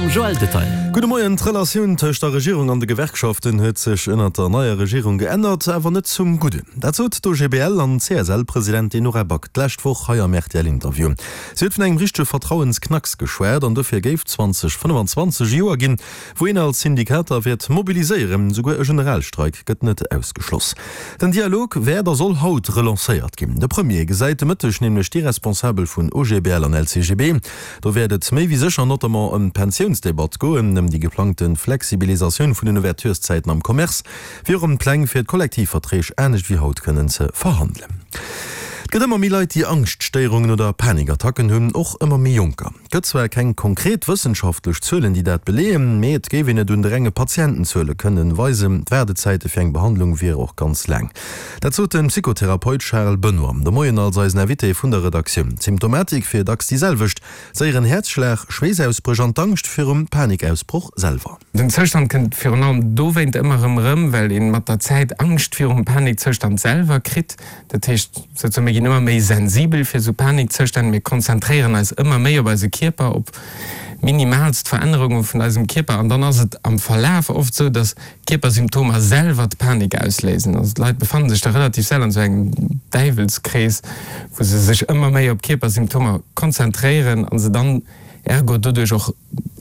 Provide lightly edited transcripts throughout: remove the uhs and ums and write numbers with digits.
Mam Joël Detaille. Gudde Moien. D'Relatioun tëscht der Regierung an de Gewerkschaften huet sech ënnert der neier Regierung geännert, awer net zum Gudden. Dat sot d'OGBL an CSL-Presidentin Nora Back d'lescht Woch hei am RTL-Interview. Si huet vun engem richtege Vertrauensknacks geschwat an dofir géif 2025 e Joer ginn, wou een als Syndikater wäert mobiliséieren. Souguer e Generalstreik gëtt net ausgeschloss. Den Dialog wäert a soll haut relancéiert ginn. De Premier gesäit de Mëtteg nämlech déi Responsabel vun OGBL an LCGB. Do wäert et méi wéi sécher notamment ëm d'Pensiounsdebatt goen, ëm déi geplangte Flexibilisatioun vun den Ouvertureszäiten am Commerce, wéi och ëm d'Pläng fir d'Kollektivverträg anescht wéi haut kënnen ze verhandelen. Et gëtt ëmmer méi Leit, déi Angschtstéierungen oder Panikattacken hunn, och ëmmer méi Jonker. Et gëtt zwar keng konkret wëssenschaftlech Zuelen, déi dat beleeën, mee et géif een et un de renge Patientenzuele kënnen weisen. D'Waardezäite fir eng Behandlung wiere och ganz laang. Dat sot de Psychotherapeut Charles Benoy de Moien als eisen Invité vun der Redaktioun. D'Symptomatik wier dacks déi selwecht, séieren Häerzschlag, Schweessausbréch an d'Angscht virum Panikausbroch selwer. Den Zoustand kënnt virun allem dowéint ëmmer erëm erëm, well een mat der Zäit Angscht virum Panikzoustand selwer kritt. Dat heescht souzesoen, mir ginn ëmmer méi sensibel fir esou Panikzoustänn, mir konzentréieren eis ëmmer méi op eise Kierper, op minimaalst Verännerunge vun eisem Kierper an dann ass et am Verlaf oft esou, datt d'Kierpersymptomer selwer d'Panik ausléisen. Also d'Leit befanne sech da relativ séier an esou engem Däiwelskrees, wou se sech ëmmer méi op Kierpersymptomer konzentréieren a se dann ergo doduerch och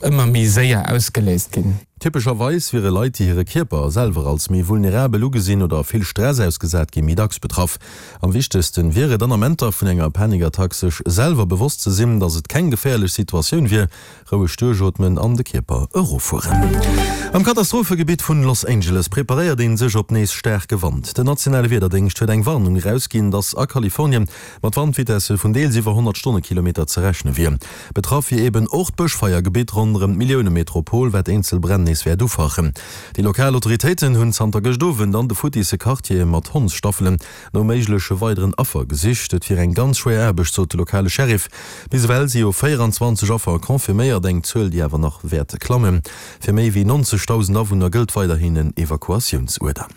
ëmmer méi séier ausgeléist ginn. Typescherweis wiere Leit, déi hire Kierper selwer als méi vulnerabel ugesinn oder vill Stress ausgesat ginn, méi dacks betraff. Am wichtegsten wier et an Amenter vun enger Panikattack sech selwer bewosst ze sinn, dass et keng geféierlech Situatioun wier, roueg duerchootmen an de Kierper eroffueren. Am Katastrophegebitt vun Los Angeles preparéiert een sech op nees staarke Wand. Den nationale Wiederdéngscht huet eng Warnung erausginn, dass a Kalifornien mat Wandvitesse vun deels iwwer 100 Stonnekilometer ze rechne wier. Betraff wier eben och d'Bëschfeiergebitt ronderëm d'Milliounemetropol, wat eenzel Bränn nees wäert ufachen. Déi lokal Autoritéiten hunn zanter gëscht Owend an de futtisse Quartiere mat Hondsstaffelen no méigleche weideren Affer gesicht. Et wier eng ganz schwéier Aarbecht, sot de lokale Sheriff. Bis ewell si jo 24 Affer confirméiert, eng Zuel, déi awer nach wäert klammen. Fir méi wéi 90.000 Awunner gëllt weiderhin en Evakuatiounsuerder.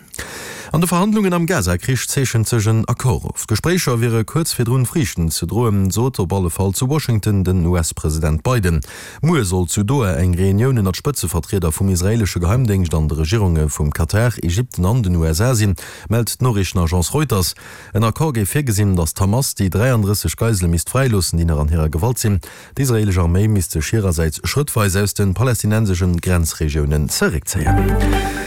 An de Verhandlungen am Gaza-Krich zeechent sech en Accord of. D'Gespréicher wiere kuerz virdrun, Friichten ze droen, sot op alle Fall zu Washington den US-President Biden. Muer soll zu Doha eng Reunioun ënnert Spëtzevertrieder vum israeelesche Geheimdéngscht an de Regierunge vum Katar, Ägypten an den USA sinn, mellt d'Noriichtenagence Reuters. En Accord géif virgesinn, datt d'Hamas déi 33 Geisele misst fräiloossen, déi nach an hirer Gewalt sinn. D'israeelesch Arméi misst sech hirersäits schrëttweis aus de palästinenseschen Grenzregiounen zeréckzéien.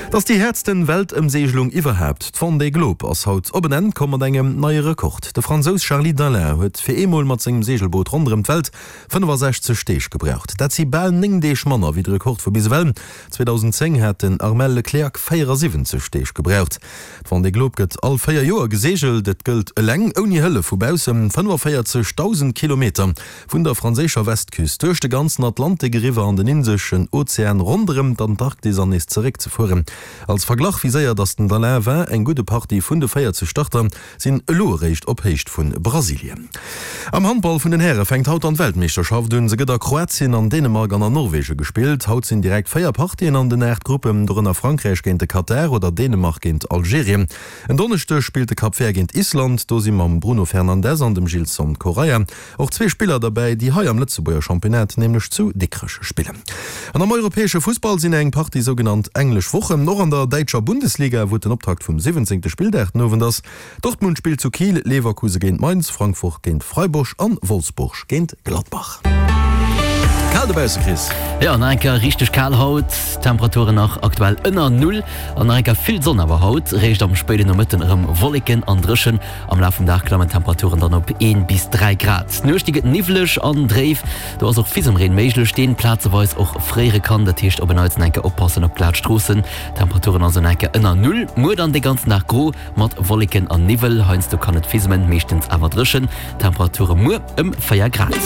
Et ass déi häertsten Weltëmseegelung iwwerhaapt. D'Vendée Globe ass haut op en Enn komm mat engem neie Rekord. De Fransous Charly Dalin huet fir eemol mat sengem Seegelboot ronderëm d'Welt 65 Deeg gebraucht. Dat si bal 9 Deeg manner wéi de Rekord vu bis ewell. 2010 hat den Armel Le Cléac'h 74 Deeg gebraucht. D'Vendée Globe gëtt all 4 Joer geseegelt. Et gëllt eleng, ouni Hëllef vu baussen, 45.000 Kilometer vun der franséischer Westküst duerch de ganzen Atlantik eriwwer an den Indeschen Ozean, ronderëm d'Antarktis an nees zeréck ze fueren. Als Verglach, wéi séier datt den Dalin war, eng gudde Partie vun de 40 Starter sinn elo eréischt op Héicht vu Brasilien. Am Handball vun den Häre fänkt haut dann d'Weltmeeschterschaft un. Se gëtt a Kroatien, an Dänemark an an Norwegen gespillt. Haut sinn direkt 4 Partien an den 8 Gruppen, dorënner Frankräich géint de Katar oder Dänemark géint Algerien. En Donneschdeg spillt de Cap Vert géint Island. Do si mam Bruno Fernandes an dem Gilson Correia och zwee Spiller derbäi, déi hei am Lëtzebuerger Championnat, nämlech zu Dikrech, spillen. An am europäesche Fussball sinn eng Partie sougenannt englesch Wochen, och an der däitscher Bundesliga, wou et den Optakt vum 17. Spilldag den Owend ass. Dortmund spillt zu Kiel, Leverkuse géint Mainz, Frankfurt géint Freiburg an Wolfsburg géint Gladbach. Kal dobausse, Chris. Jo, nach eng Kéier richteg kal haut, Temperaturen nach aktuell ënner Null an nach eng Kéier vill Sonn awer haut. Réischt am spéiden Nomëtten erëm Wolleken an dréchen. Am Laf vum Dag klammen d'Temperaturen dann op 1 bis 3 Grad. D'Nuecht déi gëtt niwwleg an dréif, do ass och Fisemreen méiglech, deen plazeweis och fréiere kann. Dat heescht op en Neits enke oppassen op glat Stroossen. Temperaturen also enke ënner Null. Muer dann de ganzen Dag gro mat Wolleken an Niwwel, heiansdo kann et fisemen, meeschtens awer dréchen. Temperature muer ëm 4 Grad.